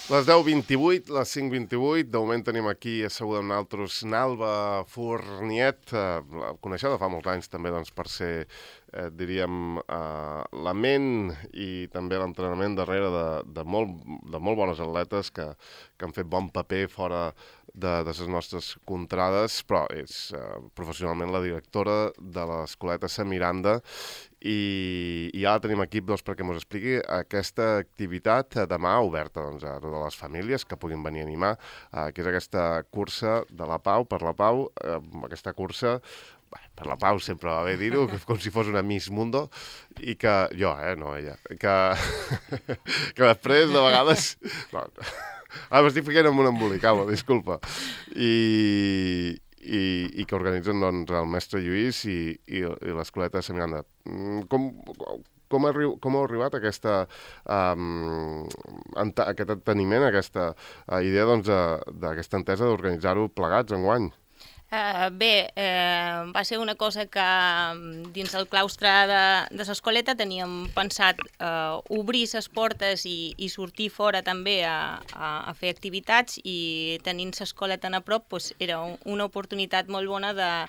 Les 10:28, les 5:28, de moment tenim aquí asseguda amb nosaltres Nalba Fourniet, la coneixeu de fa molts anys també doncs, per ser, diríem, la ment i també l'entrenament darrere de molt bones atletes que han fet bon paper fora de les nostres contrades, però és professionalment la directora de l'Escoleta Sant Miranda i ja la tenim aquí doncs, perquè ens expliqui aquesta activitat demà oberta doncs, a totes les famílies que puguin venir a animar, que és aquesta cursa de la Pau, per la Pau, aquesta cursa per la Pau sempre va bé dir-ho, com si fos una Miss Mundo, i que jo, no ella, que després de vegades... No, m'estic ficant amb un embolicau, disculpa. I que organitzen doncs, el mestre Lluís i l'Escoleta de Sant Miranda. Com heu arribat a aquest enteniment, a aquesta idea doncs, d'aquesta entesa d'organitzar-ho plegats enguany? Va ser una cosa que dins el claustre de l'Escoleta teníem pensat obrir les portes i sortir fora també a fer activitats, i tenint l'Escoleta a prop era una oportunitat molt bona de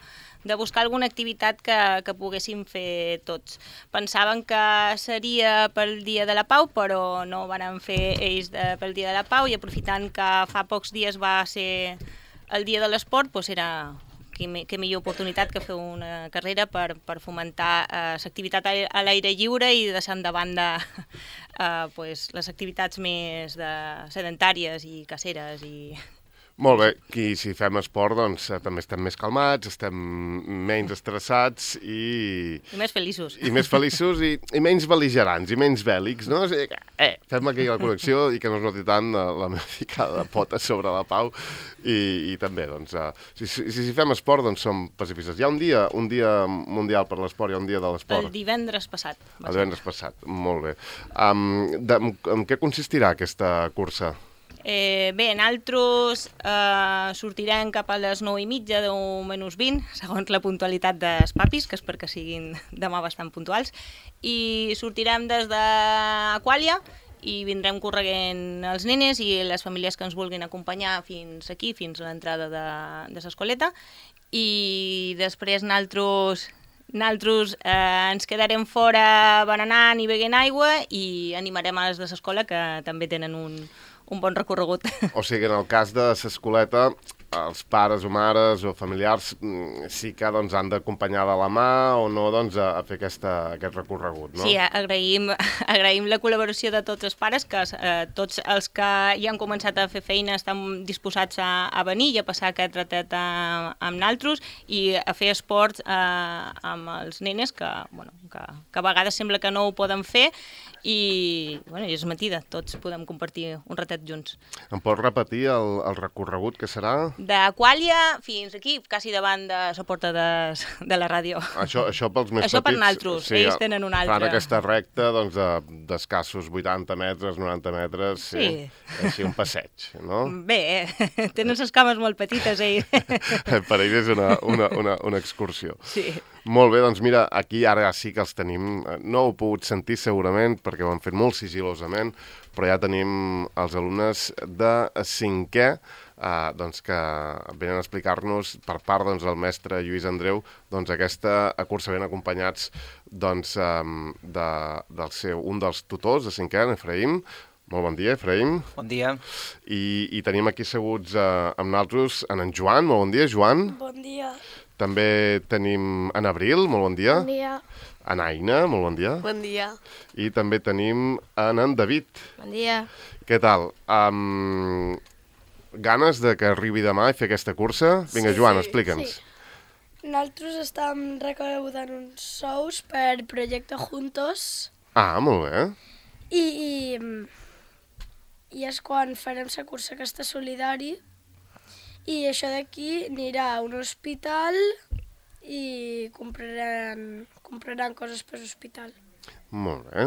buscar alguna activitat que poguéssim fer tots. Pensàvem que seria pel Dia de la Pau, però no ho van fer ells pel Dia de la Pau, i aprofitant que fa pocs dies va ser el dia de l'esport, era que millor oportunitat que fer una carrera per fomentar l'activitat a l'aire lliure i deixant de banda les activitats més sedentàries i caseres. Molt bé, i si fem esport, doncs també estem més calmats, estem menys estressats i més feliços. I més feliços i menys bel·ligerants i menys bèl·lics, no? O sigui, fem aquí la connexió i que no es noti tant la meva ficada de potes sobre la Pau i també, doncs, si fem esport, doncs som pacifistes. Hi ha un dia mundial per l'esport, hi ha un dia de l'esport. El divendres passat. El divendres passat, molt bé. En què consistirà aquesta cursa? Nosaltres sortirem cap a les 9:30, 10:20, segons la puntualitat dels papis, que és perquè siguin demà bastant puntuals, i sortirem des d'Aquàlia i vindrem correguent els nenes i les famílies que ens vulguin acompanyar fins aquí, fins a l'entrada de l'Escoleta, i després nosaltres ens quedarem fora berenant i beguent aigua i animarem a les de l'escola, que també tenen un bon recorregut. O sigui, en el cas de l'Escoleta, els pares o mares o familiars sí que doncs, han d'acompanyar de la mà o no doncs, a fer aquest recorregut, no? Sí, agraïm la col·laboració de tots els pares, que tots els que ja han començat a fer feina estan disposats a venir i a passar aquest ratet amb nosaltres i a fer esports amb els nenes que a vegades sembla que no ho poden fer, i és mentida, tots podem compartir un ratet junts. Em pots repetir el recorregut que serà? D'Aquàlia fins aquí, quasi davant de la porta de la ràdio. Això pels més petits? Això per nosaltres, sí, ells tenen un altre. Fan aquesta recta d'escassos 80 metres, 90 metres, sí. Així un passeig, no? Bé, tenen les cames molt petites, ells. Per ells és una excursió. Sí. Molt bé, doncs mira, aquí ara sí que els tenim. No ho heu pogut sentir segurament perquè ho han fet molt sigil·losament, però ja tenim els alumnes de 5è doncs que venen a explicar-nos per part doncs, del mestre Lluís Andreu doncs, aquesta cursa, ben acompanyats doncs, un dels tutors de 5è, en Efraïm. Molt bon dia, Efraïm. Bon dia. I tenim aquí asseguts amb nosaltres en Joan. Molt bon dia, Joan. Bon dia. També tenim en Abril. Molt bon dia. Bon dia. En Aina. Molt bon dia. Bon dia. I també tenim en David. Bon dia. Què tal? Ganes de que arribi demà i fer aquesta cursa? Vinga, Joan, explica'ns. Sí. Nosaltres estem recaudant uns sous per Projecte Juntos. Molt bé. I és quan farem la cursa aquesta solidari, i això d'aquí anirà a un hospital i compraran coses per l'hospital. Molt bé,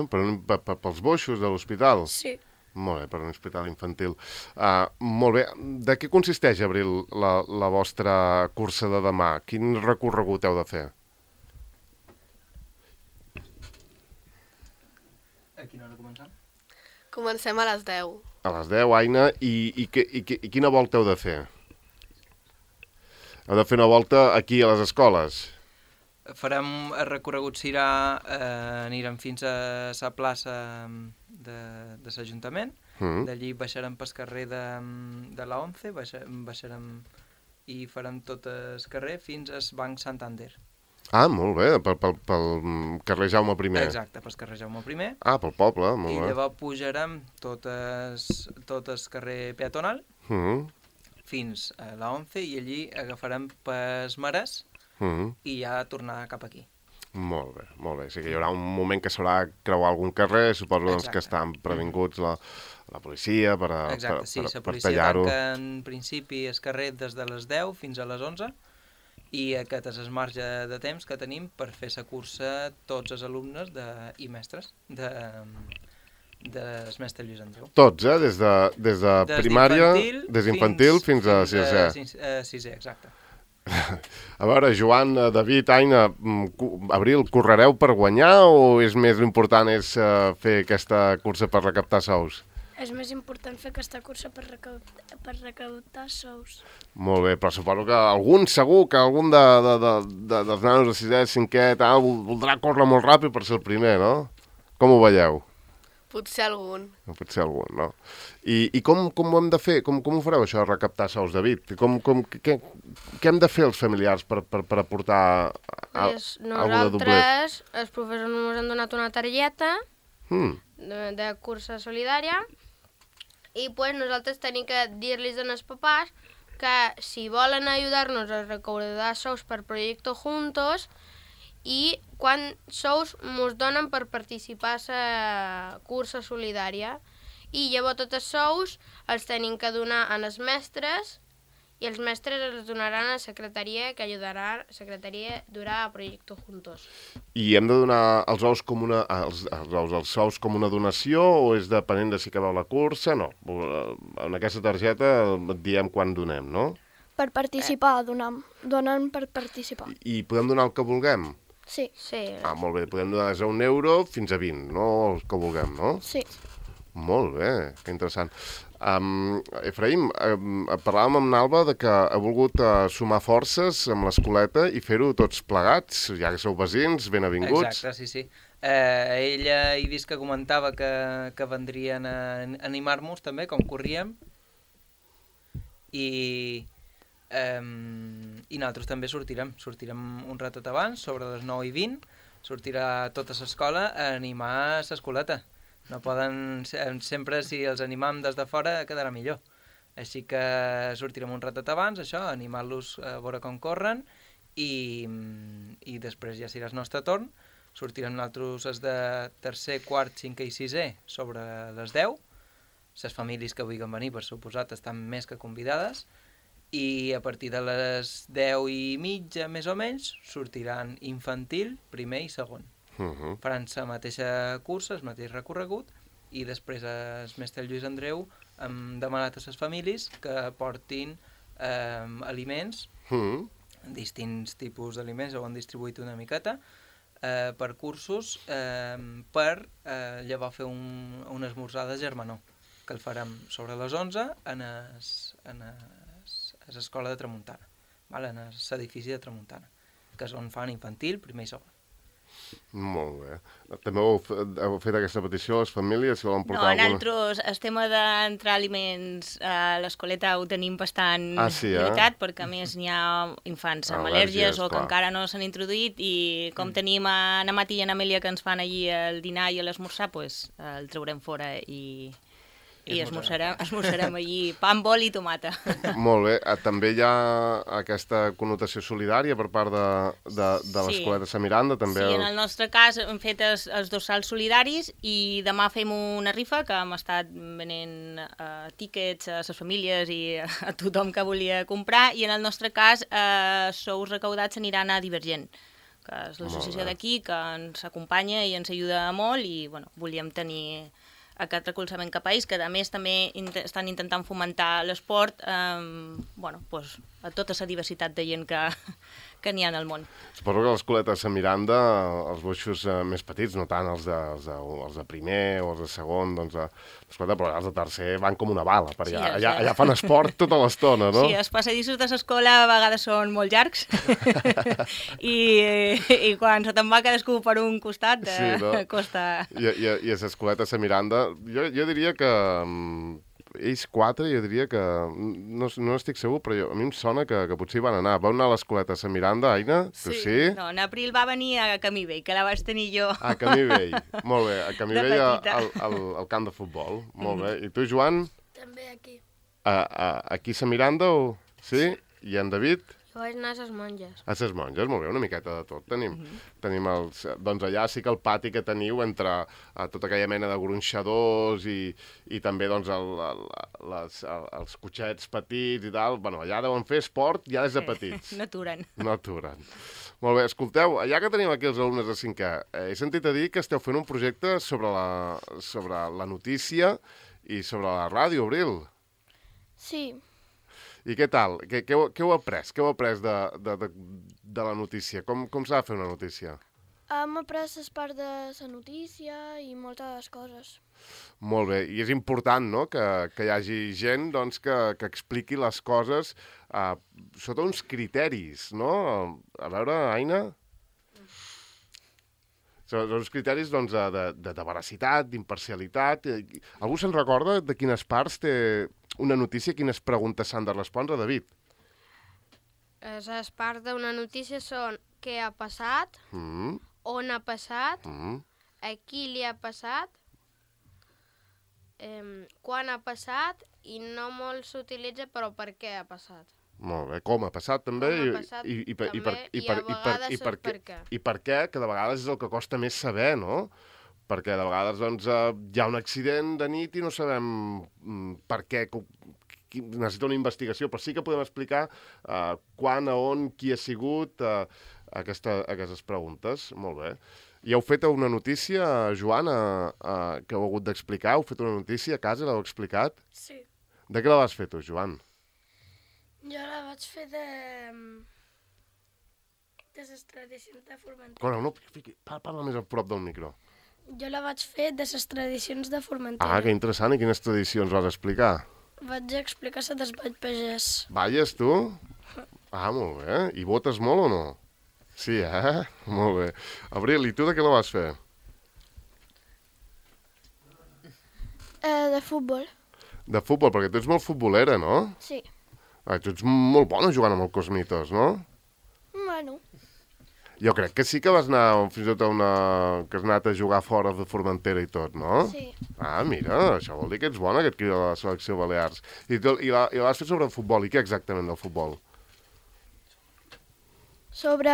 pels boixos de l'hospital? Sí. Molt bé, per un hospital infantil. Molt bé, de què consisteix, Abril, la vostra cursa de demà? Quin recorregut heu de fer? A quina hora comencem? Comencem a les 10. A les 10, Aina, i quina volta heu de fer? Heu de fer una volta aquí a les escoles? Farem el recorregut s'irà, anirem fins a la plaça de l'Ajuntament, d'allí baixarem pel carrer de la 11, baixarem i farem tot el carrer fins al Banc Santander. Ah, molt bé, pel carrer Jaume I. Exacte, pel carrer Jaume I. Ah, pel poble, molt bé. I llavors pujarem tot el carrer peatonal fins a la 11 i allí agafarem pels Marès i ja tornar cap aquí. Molt bé, molt bé. O sigui que hi haurà un moment que s'haurà de creuar algun carrer, suposo doncs, que estan previnguts la policia per tallar-ho. Exacte, sí, la policia tanca en principi el carrer des de les 10 fins a les 11 i aquest és el marge de temps que tenim per fer la cursa tots els alumnes i mestres del mestre Lluís Andreu. Tots, des de primària, des d'infantil fins a sisè. Sisè, exacte. A veure, Joan, David, Aina, Abril, correreu per guanyar o és més important fer aquesta cursa per recaptar sous? És més important fer aquesta cursa per recaptar sous. Molt bé, però suposo que segur que algun dels nanos de 6è, 5è, tal, voldrà córrer molt ràpid per ser el primer, no? Com ho veieu? Potser algun. Potser algun, no? I com ho hem de fer? Com ho fareu, això, de recaptar sous, David? Què hem de fer els familiars per aportar alguna de doblet? Nosaltres, els professors ens han donat una targeta de cursa solidària i pues, nosaltres tenim que dir-los als papàs que si volen ajudar-nos a recaudar sous per Proyecto Juntos i quan sous ens donen per participar a la cursa solidària i llavors tots els sous els tenim que donar als mestres i els mestres els donaran a la secretaria que ajudarà la secretaria durà a Proyecto Juntos. I hem de donar els sous com una donació o és depenent de si acabeu la cursa? No, en aquesta targeta et diem quan donem, no? Per participar, donen per participar. I podem donar el que vulguem? Sí. Ah, molt bé, podem donar des d'1 euro fins a 20, no el que vulguem, no? Sí. Molt bé, que interessant. Efraïm, parlàvem amb l'Alba de que ha volgut sumar forces amb l'escoleta i fer-ho tots plegats, ja que sou veïns, ben avinguts. Exacte, sí. Ella he vist que comentava que vendrien a animar-nos també, com corríem, i nosaltres també sortirem un ratet abans, sobre les 9:20, sortirà tota l'escola a animar l'escoleta. No poden, sempre si els animam des de fora quedarà millor. Així que sortirem un ratet abans, això, animar-los a veure com corren i després ja serà el nostre torn. Sortirem nosaltres els de tercer, quart, cinquè i sisè sobre les 10. Les famílies que vulguin venir, per suposat, estan més que convidades. I a partir de les 10:30, més o menys, sortiran infantil, primer i segon. Faran la mateixa cursa, el mateix recorregut, i després el mestre Lluís Andreu hem demanat a les famílies que portin aliments, distints tipus d'aliments, ho han distribuït una miqueta, per cursos, per llavors fer un esmorzar de germanor, que el farem sobre les 11 a l'escola de Tramuntana, en l'edifici de Tramuntana, que és on fan infantil, primer i segon. Molt bé. També heu fet aquesta petició a les famílies? Si volen portar nosaltres el tema d'entrar aliments a l'escoleta ho tenim bastant limitat, perquè a més n'hi ha infants amb al·lèrgies o que encara no s'han introduït i com tenim a Amat i a Amèlia que ens fan allí el dinar i l'esmorzar, doncs el traurem fora i esmorzarem allí pa amb oli i tomata. Molt bé. També hi ha aquesta connotació solidària per part de l'escoleta Sant Miranda? També. Sí, en el nostre cas hem fet els dorsals solidaris i demà fem una rifa que hem estat venent tíquets a les famílies i a tothom que volia comprar i en el nostre cas sous recaudats aniran a Divergent, que és l'associació d'aquí que ens acompanya i ens ajuda molt i volíem tenir aquest recolzament cap a ells, que a més també estan intentant fomentar l'esport a tota la diversitat de gent que n'hi ha al món. Suposo que l'escoleta de Sant Miranda, els boixos més petits, no tant els de primer o els de segon, doncs, l'escoleta, però els de tercer van com una bala, per allà. Sí, Allà fan esport tota l'estona, no? Sí, els passadissos de l'escola a vegades són molt llargs i quan se te'n va cadascú per un costat costa... I a l'escoleta de Sant Miranda, jo diria que... ells 4, jo diria que... No estic segur, però a mi em sona que potser hi van anar. Vau anar a l'escoleta de Sant Miranda, Aina? Tu sí? No, en April va venir a Camí Vell, que la vaig tenir jo. A Camí Vell, molt bé. A Camí Vell petita. al camp de futbol, molt bé. I tu, Joan? També aquí. Aquí a Sant Miranda o...? Sí? I en David? Jo vaig anar a ses monges. A ses monges, molt bé, una miqueta de tot. Tenim els... Doncs allà sí que el pati que teniu entre tota aquella mena de gronxadors i també doncs els cotxets petits i tal, bueno, allà deuen fer esport ja des de petits. No aturen. No aturen. Molt bé, escolteu, ja que tenim aquí els alumnes de 5è, he sentit a dir que esteu fent un projecte sobre la notícia i sobre la ràdio, Abril. Sí. I què tal? Què heu après? Què heu après de la notícia? Com s'ha de fer una notícia? Hem après les parts de la notícia i moltes coses. Molt bé. I és important, no?, que hi hagi gent doncs, que expliqui les coses sota uns criteris, no? A veure, Aina? Són uns criteris doncs, de veracitat, d'imparcialitat. Algú se'n recorda de quines parts té una notícia, quines preguntes s'han de respondre, David? Les parts d'una notícia són què ha passat, on ha passat, a qui li ha passat, quan ha passat i no molt s'utilitza però per què ha passat. Molt bé, com ha passat també i a vegades per què. I per què, que de vegades és el que costa més saber, no? Perquè de vegades doncs, hi ha un accident de nit i no sabem per què, necessita una investigació, però sí que podem explicar quan, on, qui ha sigut, aquestes preguntes. Molt bé. I heu fet una notícia, Joan, que heu hagut d'explicar? Heu fet una notícia a casa, l'heu explicat? Sí. De què la vas fer tu, Joan? Jo la vaig fer de les tradicions de Formentera. Corre, no, parla més a prop del micro. Jo la vaig fer de les tradicions de Formentera. Ah, que interessant. I quines tradicions vas explicar? Vaig explicar la del Ball Pagès. Balles, tu? Ah, molt bé. I votes molt o no? Sí, Molt bé. Abril, i tu de què la vas fer? De futbol. De futbol, perquè tu ets molt futbolera, no? Sí. Tu ets molt bona jugant amb el Cosmitos, no? Bueno. Jo crec que sí que vas anar fins i tot que has anat a jugar fora de Formentera i tot, no? Sí. Ah, mira, això vol dir que ets bona, aquest crit de la selecció Balears. I la vas fer sobre futbol. I què exactament del futbol? Sobre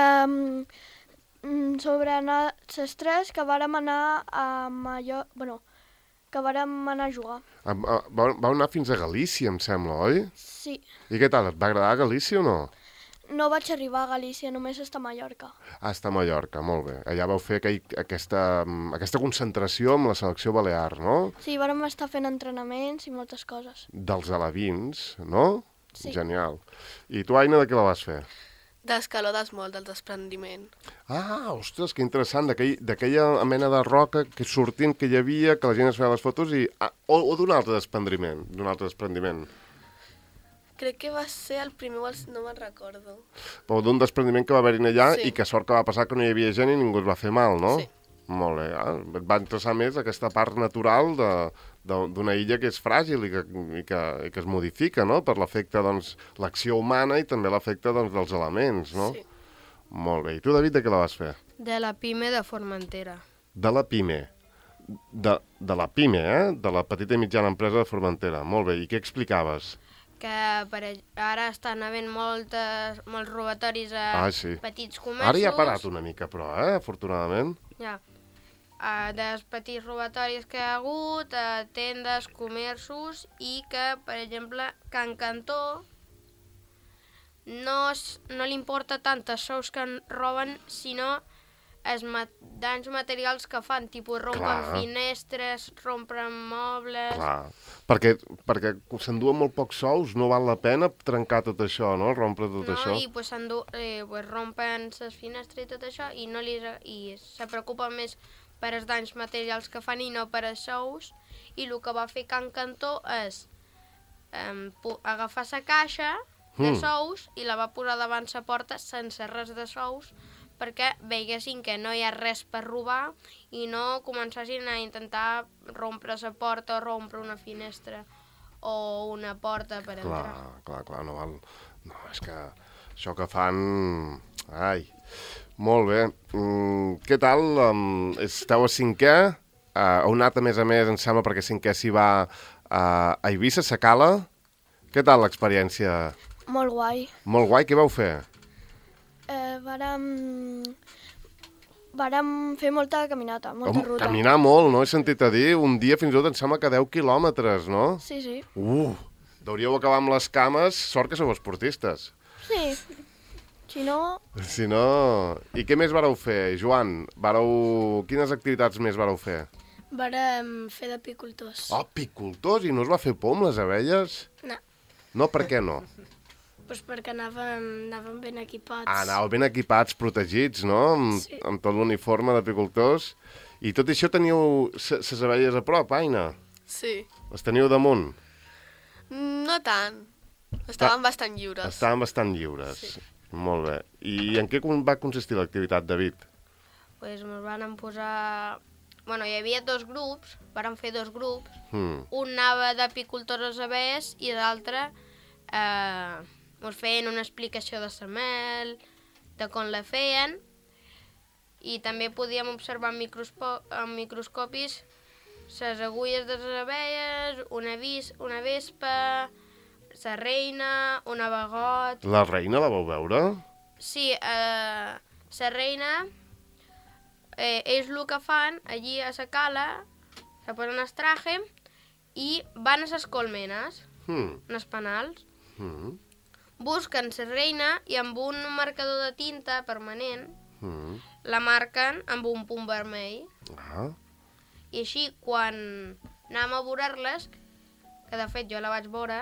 les tres que vàrem anar a Mallorca... Bueno, que vàrem anar a jugar. Vau anar fins a Galícia, em sembla, oi? Sí. I què tal? Et va agradar Galícia o no? No vaig arribar a Galícia, només està a Mallorca. Ah, està a Mallorca, molt bé. Allà vau fer aquesta concentració amb la selecció balear, no? Sí, vàrem estar fent entrenaments i moltes coses. Dels alevins, no? Sí. Genial. I tu, Aina, de què la vas fer? D'escaló d'esmol, del desprendiment. Ah, ostres, que interessant, d'aquella mena de roca que sortint que hi havia, que la gent es feia les fotos i... O d'un altre desprendiment. Crec que va ser el primer, no me'n recordo. Però d'un desprendiment que va haver-hi allà Sí. i que sort que va passar que no hi havia gent i ningú es va fer mal, no? Sí. Molt bé. Et va interessar més aquesta part natural d'una illa que és fràgil i que es modifica, no? Per l'efecte, doncs, l'acció humana i també l'efecte, doncs, dels elements, no? Sí. Molt bé. I tu, David, de què la vas fer? De la PIME de Formentera. De la PIME. De la PIME, de la petita i mitjana empresa de Formentera. Molt bé. I què explicaves? Que ara estan havent molts robatoris a petits comerços. Ara ja ha parat una mica, però, afortunadament. Ja. Dels petits robatoris que hi ha hagut, a tendes, comerços, i que, per exemple, Can Cantó no li importa tant els sous que en roben, sinó danys materials que fan, tipus rompen finestres, rompen mobles... Clar, perquè s'enduen molt pocs sous, no val la pena trencar tot això, no? Rompre tot això. I pues, rompen les finestres i tot això i se preocupen més per els danys materials que fan i no per els sous. I el que va fer Can Cantó és agafar la caixa de sous i la va posar davant la porta sense res de sous, perquè veiguessin que no hi ha res per robar i no començassin a intentar rompre la porta o rompre una finestra o una porta per entrar. Clar, no val... No, és que això que fan... Ai, molt bé. Què tal? Esteu a 5è? Heu anat, a més, em sembla, perquè 5è s'hi va a Eivissa, a Cala. Què tal l'experiència? Molt guai. Molt guai, què vau fer? Vàrem fer molta caminata, molta ruta. Caminar molt, no? He sentit a dir, un dia fins i tot em sembla que 10 quilòmetres, no? Sí. Deuríeu acabar amb les cames, sort que sou esportistes. Sí, si no... I què més vareu fer, Joan? Quines activitats més vareu fer? Vàrem fer d'apicultors. Apicultors? I no us va fer por amb les abelles? No. No, per què no? Doncs perquè anàvem ben equipats. Anàveu ben equipats, protegits, no? Sí. Amb tot l'uniforme d'apicultors. I tot això teniu les abelles a prop, Aina? Sí. Les teniu damunt? No tant. Estaven bastant lliures. Estaven bastant lliures. Sí. Molt bé. I en què va consistir l'activitat, David? Pues ens van posar... Bueno, hi havia 2 grups, vàrem fer 2 grups. Un anava d'apicultors als abelles i l'altre ens feien una explicació de la mel, de com la feien, i també podíem observar amb microscopis les agulles de les abelles, una vespa, la reina, un abagot... La reina la vau veure? Sí, la reina, ells el que fan, allí a la cala, se posen el traje i van a les colmenes, els panals, busquen la reina i amb un marcador de tinta permanent la marquen amb un punt vermell. I així, quan anàvem a veure-les, que de fet jo la vaig veure...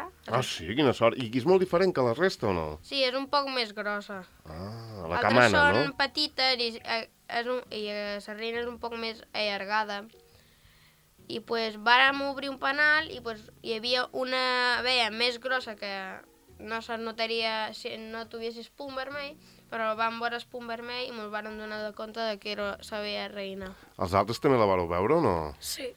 Sí? Quina sort. I és molt diferent que la resta o no? Sí, és un poc més grossa. La camana, no? Altres són petites i la reina és un poc més allargada. I pues vàrem obrir un panal i pues hi havia una abella més grossa que no se'n notaria si no tuviessis punt vermell, però vam veure el punt vermell i ens vam donar de compte que era l'abella reina. Els altres també la vareu veure o no? Sí.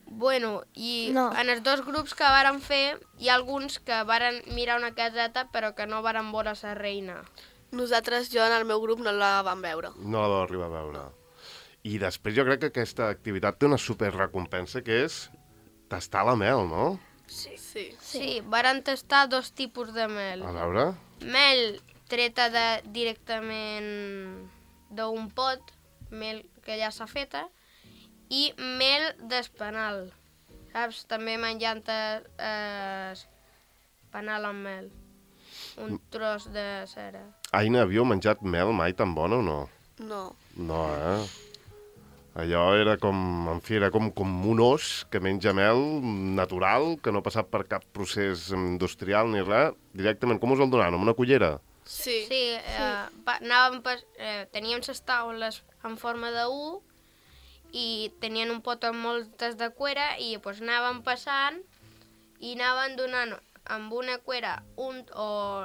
Bueno, i en els 2 grups que vàrem fer, hi ha alguns que varen mirar una caseta però que no varen veure la reina. Nosaltres, jo en el meu grup, no la vam veure. No la vau arribar a veure. I després jo crec que aquesta activitat té una superrecompensa, que és tastar la mel, no? Sí, varen tastar 2 tipus de mel. A veure? Mel treta directament d'un pot, mel que ja s'ha feta, i mel d'espanal. Saps? També menjant panal amb mel. Un tros de cera. Aina, havíeu menjat mel mai tan bona o no? No. No, Allò era com, en fi, era com un os que menja mel natural, que no ha passat per cap procés industrial ni res. Directament, com us el donaven? Amb una cullera? Sí. Teníem les taules en forma de U i tenien un pot amb moltes de cuera i pues, anàvem passant i anaven donant amb una cuera o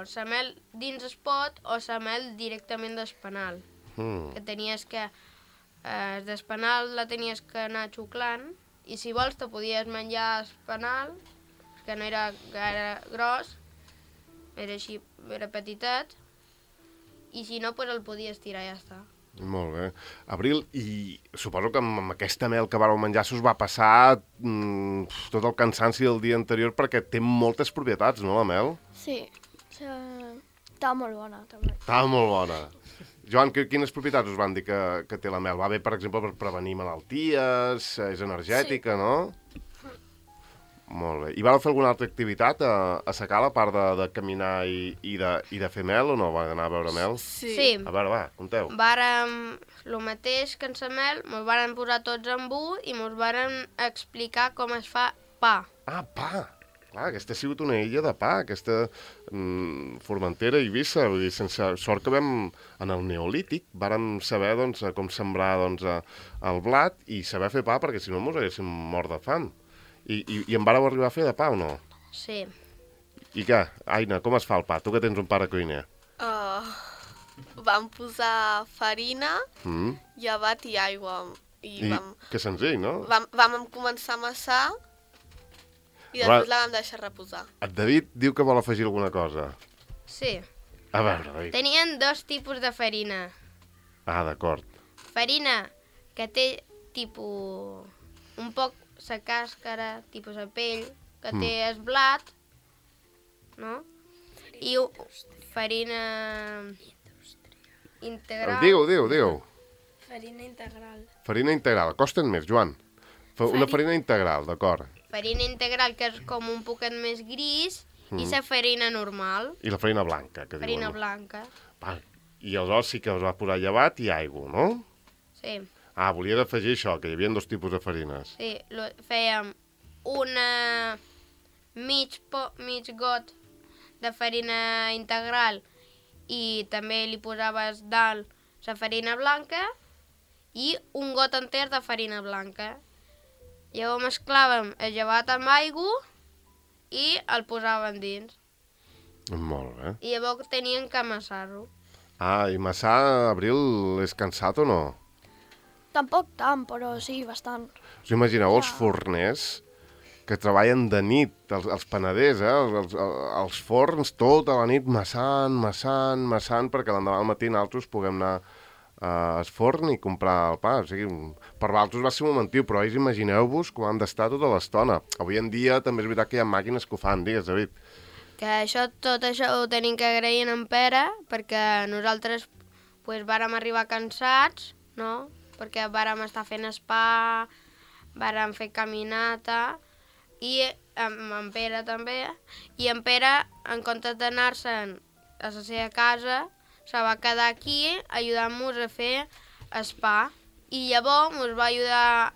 la mel dins el pot o la mel directament d'espanal. Que tenies que... d'espanal la tenies que anar xuclant i si vols te podies menjar espanal, que no era gaire gros, era així, era petitet, i si no, pues el podies tirar i ja està. Molt bé. Abril, i suposo que amb aquesta mel que vareu menjar s'us va passar tot el cansanci del dia anterior perquè té moltes propietats, no, la mel? Sí, estava molt bona, també. Estava molt bona. Joan, quines propietats us van dir que té la mel? Va bé, per exemple, per prevenir malalties, és energètica, no? Molt bé. I vareu fer alguna altra activitat a sa cala, a part de caminar i de fer mel, o no? Va anar a veure mel? Sí. A veure, va, conteu. Vàrem, el mateix que en sa mel, mos varen posar tots en bu i mos varen explicar com es fa pa. Ah, pa! Clar, aquesta ha sigut una illa de pa, aquesta Formentera, Eivissa, vull dir, sense sort que vam, en el Neolític, vàrem saber doncs, com sembrar doncs, el blat i saber fer pa, perquè si no mos haguéssim mort de fam. I en vareu arribar a fer de pa o no? Sí. I què? Aina, com es fa el pa? Tu que tens un pare cuiner. Vam posar farina, llevat i aigua. Que senzill, no? Vam començar a amassar i després la vam deixar reposar. El David diu que vol afegir alguna cosa. Sí. A veure, David. Tenien 2 tipus de farina. Ah, d'acord. Farina que té tipus un poc sa càscara, tipus la pell, que té el blat, no? I farina integral. Diu. Farina integral. Farina integral. Costen més, Joan. Una farina integral, d'acord. Farina integral, que és com un poquet més gris, i la farina normal. I la farina blanca, que Farina diuen. blanca. I aleshores sí que us va posar llevat i aigua, no? Sí. Ah, volies afegir això, que hi havia 2 tipus de farines. Sí, fèiem una mig got de farina integral i també li posaves dalt la farina blanca i un got enter de farina blanca. Llavors mesclàvem el llevat amb aigua i el posàvem dins. Molt bé. I llavors tenien que amassar-ho. Ah, i Massà, Abril, és cansat o no? Tampoc tant, però sí, bastant. Us imagineu els forners que treballen de nit, els panaders, els forns, tota la nit massant, perquè l'endemà al matí nosaltres puguem anar al forn i comprar el pa. O sigui, per vosaltres va ser un momentiu, però imagineu-vos que ho han d'estar tota l'estona. Avui en dia també és veritat que hi ha màquines que ho fan, digues, David. Que tot això ho tenim que agrair en Pere, perquè nosaltres vàrem arribar cansats, no? Perquè vàrem estar fent spa, vàrem fer caminata, i amb en Pere també, i en Pere, en comptes d'anar-se'n a la seva casa, se va quedar aquí ajudant-nos a fer spa. I llavors ens va ajudar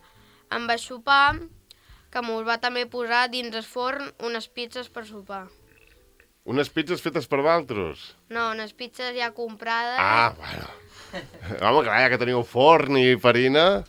amb el sopar, que ens va també posar dins el forn unes pizzas per sopar. Unes pizzas fetes per vosaltres? No, unes pizzas ja comprades. Ah, bueno. Home, clar, ja que teniu forn i farina...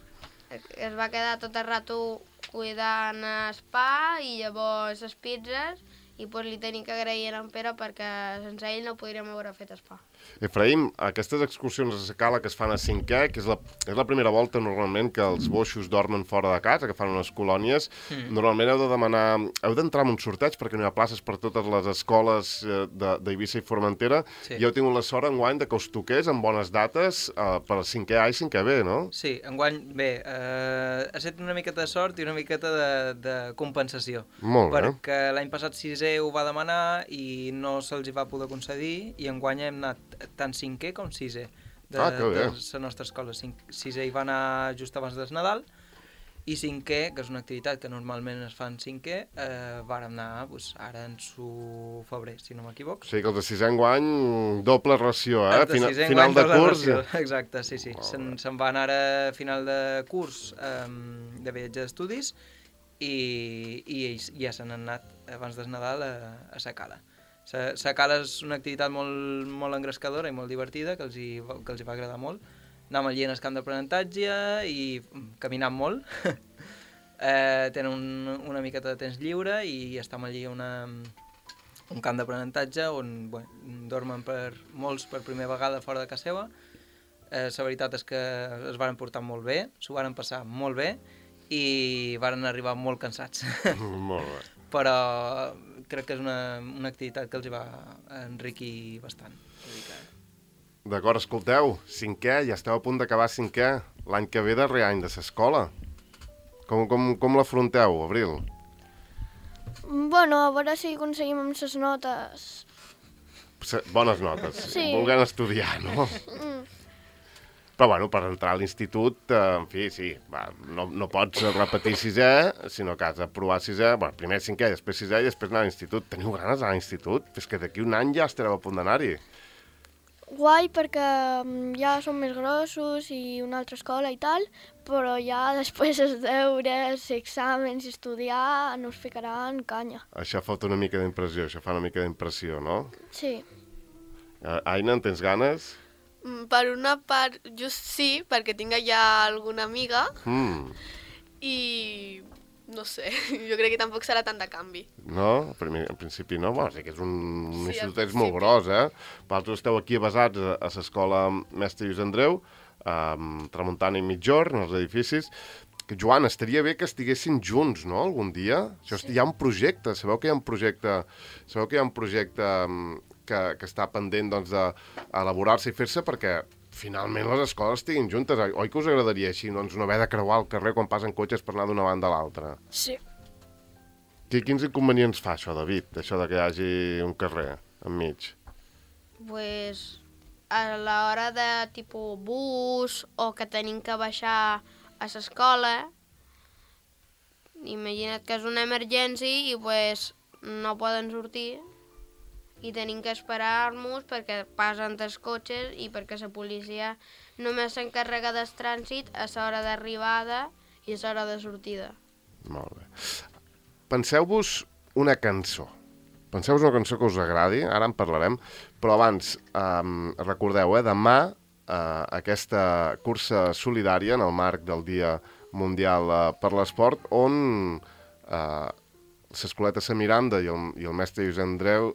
Es va quedar tot el rato cuidant el pa i llavors les pizzas i li tenim que agrair a en Pere perquè sense ell no podríem haver fet el pa. Efraïm, aquestes excursions a la cala que es fan a 5è, que és la primera volta normalment que els boixos dormen fora de casa, que fan unes colònies, normalment heu d'entrar en un sorteig perquè no hi ha places per totes les escoles d'Eivissa i Formentera, i heu tingut la sort enguany que us toqués en bones dates per 5è A i 5è B, no? Sí, enguany, bé, ha estat una miqueta de sort i una miqueta de compensació. Molt bé. Perquè l'any passat 6è ho va demanar i no se'ls hi va poder concedir, i enguany hem anat tant 5è com 6è de la nostra escola. 6è hi va anar just abans del Nadal, i 5è, que és una activitat que normalment es fa en 5è, vàrem anar ara en febrer, si no m'equivoc. O sigui que els de 6è enguany, doble ració, Final de curs. Exacte, sí. Se'n va anar a final de curs de viatge d'estudis i ja se n'han anat abans del Nadal a sa cala. La cala és una activitat molt engrescadora i molt divertida, que els hi va agradar molt. Anàvem allí en el camp d'aprenentatge i caminant molt. Tenen una miqueta de temps lliure i estem allí a un camp d'aprenentatge on dormen molts per primera vegada fora de casa seva. La veritat és que es varen portar molt bé, s'ho varen passar molt bé i varen arribar molt cansats. Molt bé. Però crec que és una activitat que els hi va enriquir bastant. D'acord, escolteu, 5è, ja esteu a punt d'acabar 5è, l'any que ve darrer any de l'escola. Com l'afronteu, Abril? Bueno, a veure si aconseguim amb les notes. Bones notes, Sí. volent estudiar, no? Però, bueno, per entrar a l'institut, en fi, sí, va, no pots repetir 6è, sinó que has de provar 6è, bueno, primer 5è, després 6è i després anar a l'institut. Teniu ganes d'anar a l'institut? És que d'aquí un any ja estareu a punt d'anar-hi. Guai perquè ja som més grossos i una altra escola i tal, però ja després els deures, exàmens i estudiar no us ficaran canya. Això fot una mica d'impressió, això fa una mica d'impressió, no? Sí. Aina, en tens ganes? Per una part, just sí, perquè tinc allà alguna amiga i no sé, jo crec que tampoc serà tant de canvi. No? En principi no. Bueno, sí que és un Sí, institut al molt principi. gros, Vosaltres esteu aquí basats a l'escola Mestre Lluís Andreu, Tramuntana i Mitjorn, els edificis. Joan, estaria bé que estiguessin junts, no?, algun dia? Això hi ha un projecte, sabeu que hi ha un projecte que està pendent doncs, d'elaborar-se i fer-se perquè finalment les escoles estiguin juntes. Oi que us agradaria així, doncs, no haver de creuar el carrer quan passen cotxes per anar d'una banda a l'altra? Sí. Quins inconvenients fa això, David, això de que hi hagi un carrer enmig? Pues a l'hora de tipus bus o que tenim que baixar a l'escola, imagina't que és una emergència i pues no poden sortir i tenim que esperar-nos perquè passen els cotxes i perquè la policia només s'encarrega del trànsit a l'hora d'arribada i a l'hora de sortida. Molt bé. Penseu-vos una cançó. Penseu-vos una cançó que us agradi, ara en parlarem, però abans, recordeu, demà aquesta cursa solidària en el marc del Dia Mundial per l'Esport, on l'Escoleta Sant Miranda i el Mestre Lluís Andreu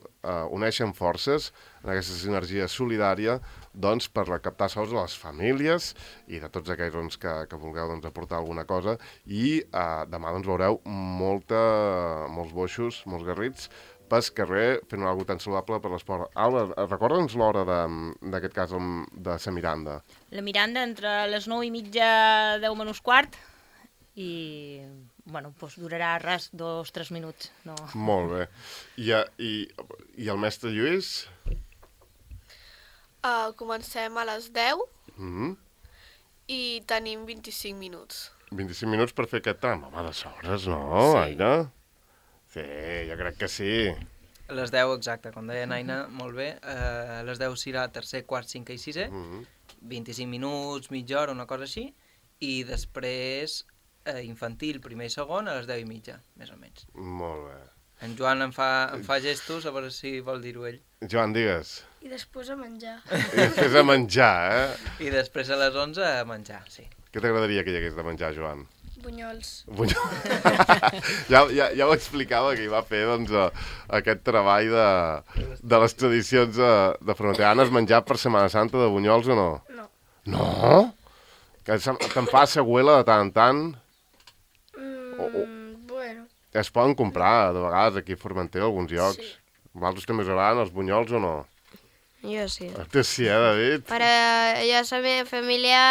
uneixen forces en aquesta sinergia solidària doncs, per recaptar sous a les famílies i de tots aquells doncs, que vulgueu doncs, aportar alguna cosa. I demà doncs, veureu molts boixos, molts garrits, pel carrer fent alguna cosa tan saludable per l'esport. Alba, recorda'ns l'hora d'aquest cas de Sant Miranda. La Miranda entre les 9:30, 10 menys quart, i bueno, doncs durarà res 2-3 minuts. No. Molt bé. I el mestre Lluís? Comencem a les 10 i tenim 25 minuts. 25 minuts per fer aquest tram. Home, de sobres, no, Sí. Aina? Sí, jo crec que sí. A les 10, exacte, com deia Aina, molt bé. A les 10 serà tercer, quart, cinquè i sisè. 25 minuts, mitja hora, una cosa així. I després infantil, primer i segon, a les 10:30, més o menys. Molt bé. En Joan em fa gestos, a veure si vol dir-ho ell. Joan, digues. I després a menjar. I després a menjar, I després a les 11 a menjar, sí. Què t'agradaria que hi hagués de menjar, Joan? Bunyols. Ja ho explicava que hi va fer doncs, aquest treball de les tradicions de frontera. Has menjat per Setmana Santa de bunyols o no? No. No? Que te'n fa següela de tant en tant? Bueno. Es poden comprar, de vegades, aquí a Formentera, alguns llocs. Sí. Vosaltres també us agraden els bunyols o no? Jo sí. Tu sí, David? Però jo, la meva família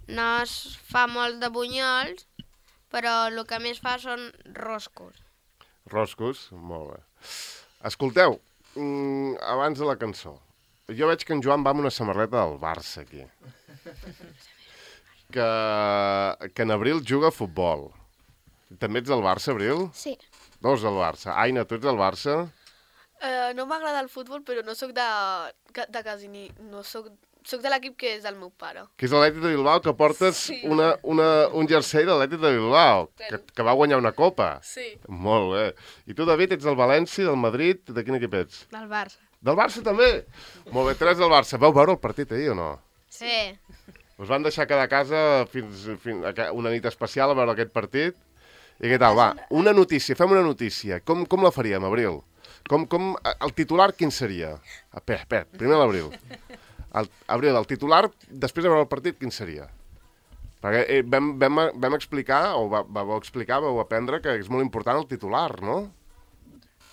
no es fa molt de bunyols, però el que més fa són roscos. Roscos? Molt bé. Escolteu, abans de la cançó, jo veig que en Joan va amb una samarreta del Barça, aquí. Que en Abril juga a futbol. També ets del Barça, Abril? Sí. Dos del Barça. Aina, tu ets del Barça? No m'agrada el futbol, però no sóc de quasi ni... No soc de l'equip que és del meu pare. Que és l'Atlètic de Bilbao, que portes Sí. un jersei de l'Atlètic de Bilbao, que va guanyar una copa. Sí. Molt bé. I tu, David, ets del València, del Madrid, de quin equip ets? Del Barça. Del Barça també? Molt bé, 3 del Barça. Vau veure el partit ahir o no? Sí. Us van deixar quedar a casa fins una nit especial a veure aquest partit? I què tal? Va, una notícia, fem una notícia. Com la faríem, Abril? El titular quin seria? Espera, primer l'Abril. Abril, el titular, després de veure el partit, quin seria? Perquè vam explicar, o vau aprendre que és molt important el titular, no?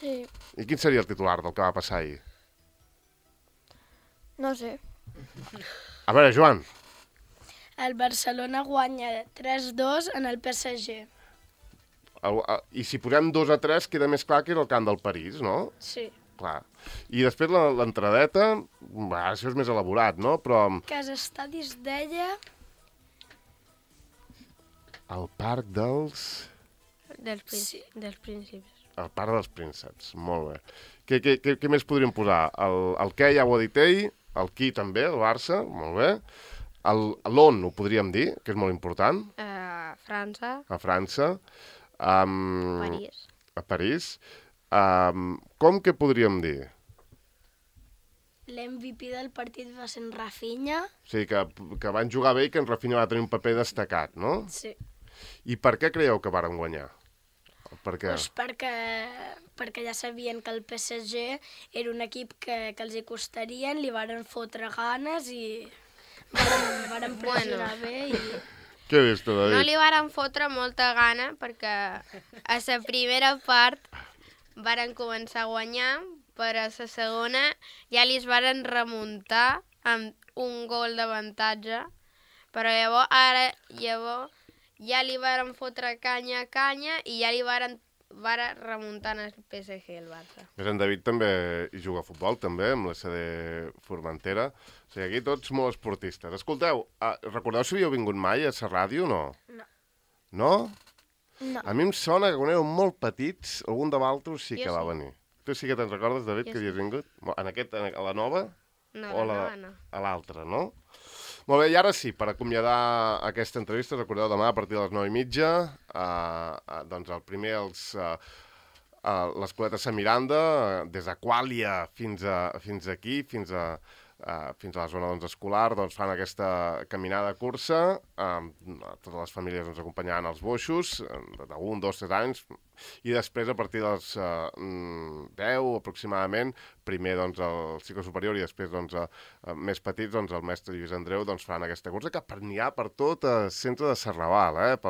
Sí. I quin seria el titular del que va passar ahir? No sé. A veure, Joan. El Barcelona guanya 3-2 en el PSG. I si posem 2-3 queda més clar que era el camp del París, no? Sí. clar. I després l'entradeta, això és més elaborat, no? Però Casa Estadi es deia... el parc dels... Dels principis. El parc dels prínceps, molt bé. Què més podríem posar? El què ja ho ha dit ell, el qui també, el Barça, molt bé. L'on ho podríem dir, que és molt important. França. A França. París. A París. Com que podríem dir? L'MVP del partit va ser en Rafinha. O sigui, que van jugar bé i que en Rafinha va tenir un paper destacat, no? Sí. I per què creieu que varen guanyar? Per què? Pues perquè ja sabien que el PSG era un equip que els hi costarien, li varen fotre ganes i varen pressionar bé i... Què dius tu, David? No li varen fotre molta gana perquè a la primera part varen començar a guanyar, però a la segona ja li es varen remuntar amb un gol d'avantatge, però llavors ja li varen fotre canya i ja li varen remuntant el PSG i el Barça. En David també hi juga a futbol, també, amb la CD Formentera. O sigui, aquí tots molt esportistes. Escolteu, recordeu si havíeu vingut mai a la ràdio o no? No. No? No. A mi em sona que quan éreu molt petits, algun de vosaltres sí que Jo va sí. venir. Tu sí que te'n recordes, David, Jo que havies vingut? A la nova? No, O la nova no. a l'altra, no? Molt bé, i ara sí, per acomiadar aquesta entrevista, recordeu demà a partir de les 9:30, doncs el primer l'Escoleta Sant Miranda, des d'Aquàlia fins aquí, fins a la zona escolar, doncs fan aquesta caminada cursa, totes les famílies ens acompanyaran als boixos, d'1, 2, 3 anys, i després a partir dels 10 aproximadament, primer doncs el cicle superior i després doncs més petits, doncs el mestre Lluís Andreu doncs fan aquesta cursa que n'hi ha per tot el centre de Serrabal,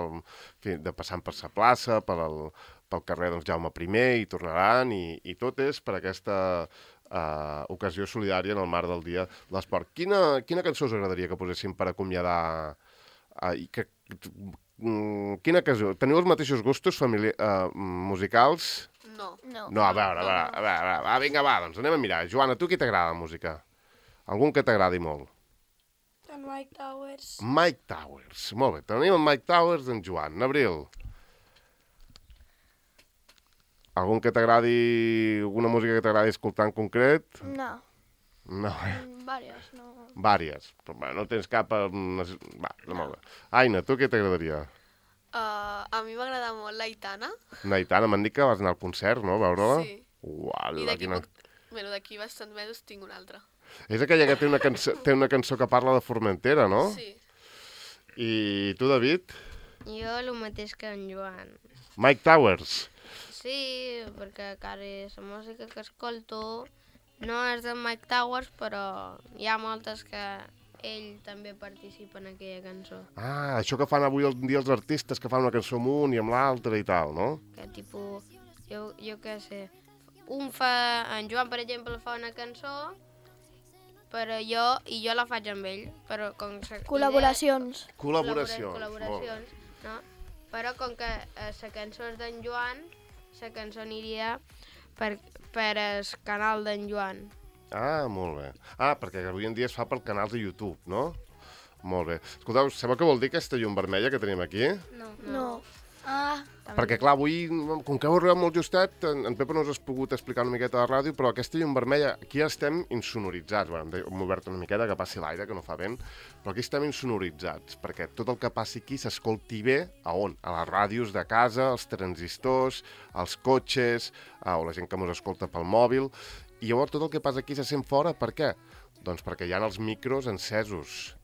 passant per sa plaça, pel carrer doncs, Jaume I i tornaran i tot és per aquesta ocasió solidària en el marc del Dia de l'Esport. Quina cançó us agradaria que poséssim per acomiadar? Quina cançó? Teniu els mateixos gustos musicals? No. No, a veure, vinga, doncs anem a mirar. Joana, tu qui t'agrada la música? Algun que t'agradi molt? En Mike Towers. Mike Towers, molt bé. Tenim en Mike Towers d'en Joan. Abril. Algun que t'agradi, alguna música que t'agradi escoltar en concret? No. No, Vàries, no. Vàries. Però no tens cap... Va, molt bé. Aina, tu què t'agradaria? A mi m'agrada molt l'Aitana. Naitana, m'han dit que vas anar al concert, no? A veure-la? Sí. Uala, I d'aquí quina... d'aquí bastants mesos tinc una altra. És aquella que té una cançó que parla de Formentera, no? Sí. I tu, David? Jo el mateix que en Joan. Mike Towers. Sí, perquè quasi la música que escolto no és de Mike Towers, però hi ha moltes que ell també participa en aquella cançó. Això que fan avui en dia els artistes, que fan una cançó amb un i amb l'altre i tal, no? Que tipus, jo què sé, en Joan, per exemple, fa una cançó, però jo la faig amb ell, però com que... Col·laboracions. Col·laboracions, no? Però com que la cançó és d'en Joan, la cançó aniria per el canal d'en Joan. Molt bé. Perquè avui en dia es fa per canals de YouTube, no? Molt bé. Escolteu, sabeu què vol dir aquesta llum vermella que tenim aquí? No. Perquè, clar, avui, com que heu arribat molt justet, en Pepa no us has pogut explicar una miqueta a la ràdio, però aquesta llum vermella, aquí estem insonoritzats. Hem obert una miqueta que passi l'aire, que no fa vent, però aquí estem insonoritzats, perquè tot el que passi aquí s'escolti bé a on? A les ràdios de casa, als transistors, als cotxes, o la gent que ens escolta pel mòbil, i llavors tot el que passa aquí se sent fora, per què? Doncs perquè hi ha els micros encesos.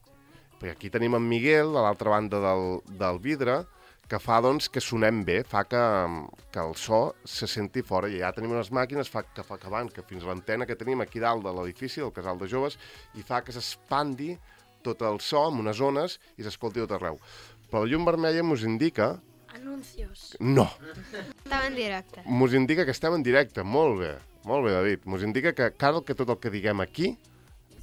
Perquè aquí tenim en Miguel, a l'altra banda del vidre, que fa doncs, que sonem bé, fa que el so se senti fora. I ja tenim unes màquines que van fins a l'antena que tenim aquí dalt de l'edifici, del Casal de Joves, i fa que s'expandi tot el so amb unes ones i s'escolti tot arreu. Però la llum vermella mos indica... Anuncios. No. Estava en directe. Mos indica que estem en directe. Molt bé, David. Mos indica que tot el que diguem aquí,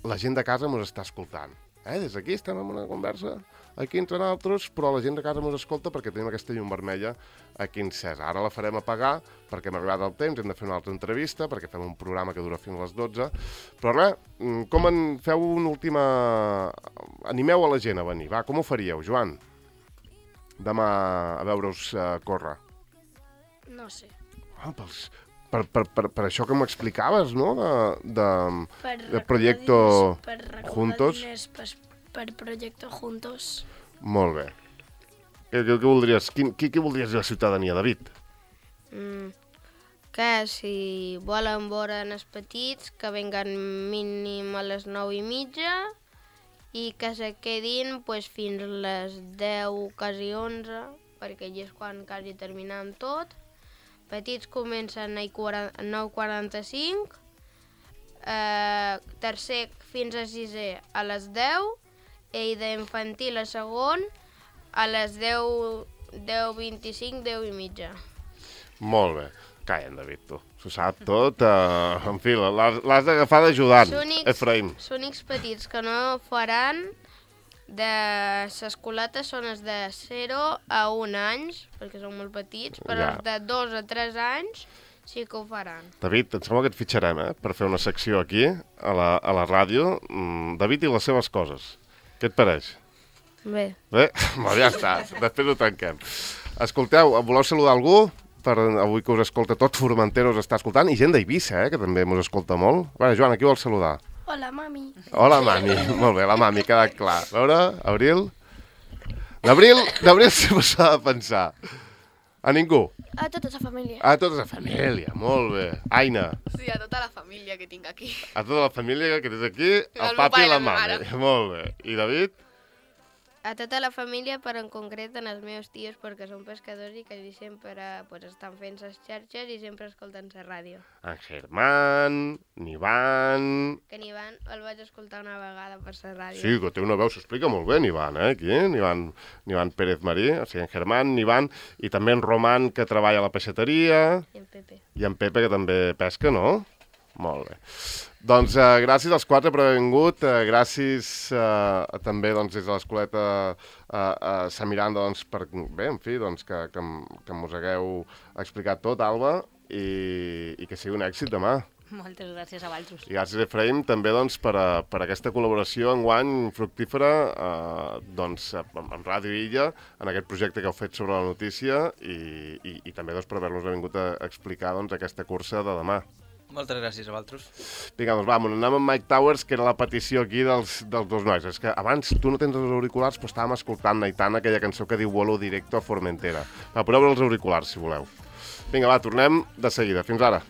la gent de casa mos està escoltant. Des d'aquí estem en una conversa aquí entre nosaltres, però la gent de casa ens escolta perquè tenim aquesta llum vermella aquí encesa. Ara la farem apagar perquè hem arribat al temps, hem de fer una altra entrevista, perquè fem un programa que dura fins a les 12. Però res, feu una última... Animeu a la gent a venir, va, com ho faríeu, Joan? Demà a veure-us córrer. No sé. Per això que m'explicaves, no?, de Proyecto Juntos. Per Proyecto Juntos. Molt bé. Què voldries? Què voldries dir a la ciutadania, David? Que si volen veure els petits, que venguen mínim a les 9:30 i que se quedin fins a les 10, quasi 11, perquè allà és quan quasi terminem tot. Petits comencen a 9:45, tercer fins a sisè a les 10, i d'infantil a segon a les 10:25, 10:30. Molt bé. Calla, David, tu. S'ho sap tot. En fi, l'has d'agafar d'ajudant, Efraim. Els únics petits que no faran de l'escoleta són els de 0 a 1 anys, perquè són molt petits, però els de 2 a 3 anys sí que ho faran. David, em sembla que et fitxarem, per fer una secció aquí, a la ràdio. David i les seves coses. Què et pareix? Bé. Bé? Ja està, després ho tanquem. Escolteu, voleu saludar algú? Avui que us escolta tot Formentera, us està escoltant, i gent d'Eivissa, que també us escolta molt. A veure, Joan, a qui vols saludar? Hola, mami. Hola, mami. Molt bé, la mami, queda clar. A veure, Abril? D'Abril sempre s'ha de pensar. A ningú? A tota la família. A tota la família, molt bé. Aina? Sí, a tota la família que tinc aquí. A tota la família que tens aquí, el papi i la mami. Molt bé. I David? A tota la família, però en concret en els meus tios, perquè són pescadors i quasi sempre estan fent les xarxes i sempre escolten la ràdio. En Germán, n'Ivan... Que n'Ivan el vaig escoltar una vegada per la ràdio. Sí, que té una veu, s'explica molt bé, n'Ivan, aquí, n'Ivan Pérez Marí, o sigui, en Germán, n'Ivan, i també en Roman, que treballa a la peixateria... I en Pepe. I en Pepe, que també pesca, no? Molt bé. Doncs gràcies als 4 per haver vingut, gràcies també des de l'escoleta Sant Miranda per, bé, en fi, que mos hagueu explicat tot, Alba, i que sigui un èxit demà. Moltes gràcies a vosaltres. I gràcies, Efraim, també per aquesta col·laboració enguany fructífera amb Ràdio Illa, en aquest projecte que heu fet sobre la notícia, i també per haver-nos vingut a explicar aquesta cursa de demà. Moltes gràcies a vosaltres. Vinga, doncs anem amb Mike Towers, que era la petició aquí dels dos nois. És que abans tu no tens els auriculars, però estàvem escoltant Aitana, aquella cançó que diu Vuelo directo a Formentera. Va, poseu els auriculars, si voleu. Vinga, va, tornem de seguida. Fins ara.